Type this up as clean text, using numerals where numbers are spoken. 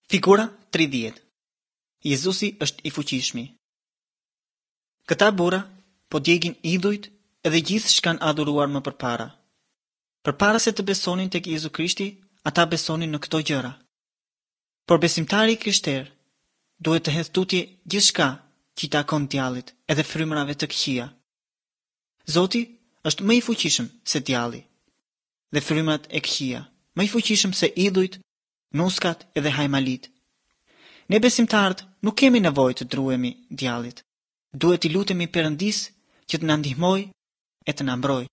Figura 30. Jezusi është i fuqishmi. Këta burra po djegin idhujt edhe gjithë ç'kanë adhuruar më përpara. Përpara se të besonin tek Jezu Krishti, ata besonin në këto gjëra. Por besimtari i krishterë duhet të hedhë tutje gjithçka që i takon djallit edhe frymërave të këqija. Zoti është më i fuqishëm se djalli dhe frymërat e këqija, më i fuqishëm se idhujt, nuskat edhe hajmalitë. Ne besimtarët nuk kemi nevojë të druhemi djallit. Duhet t'i lutemi Perëndisë që të na ndihmojë e të na mbrojë.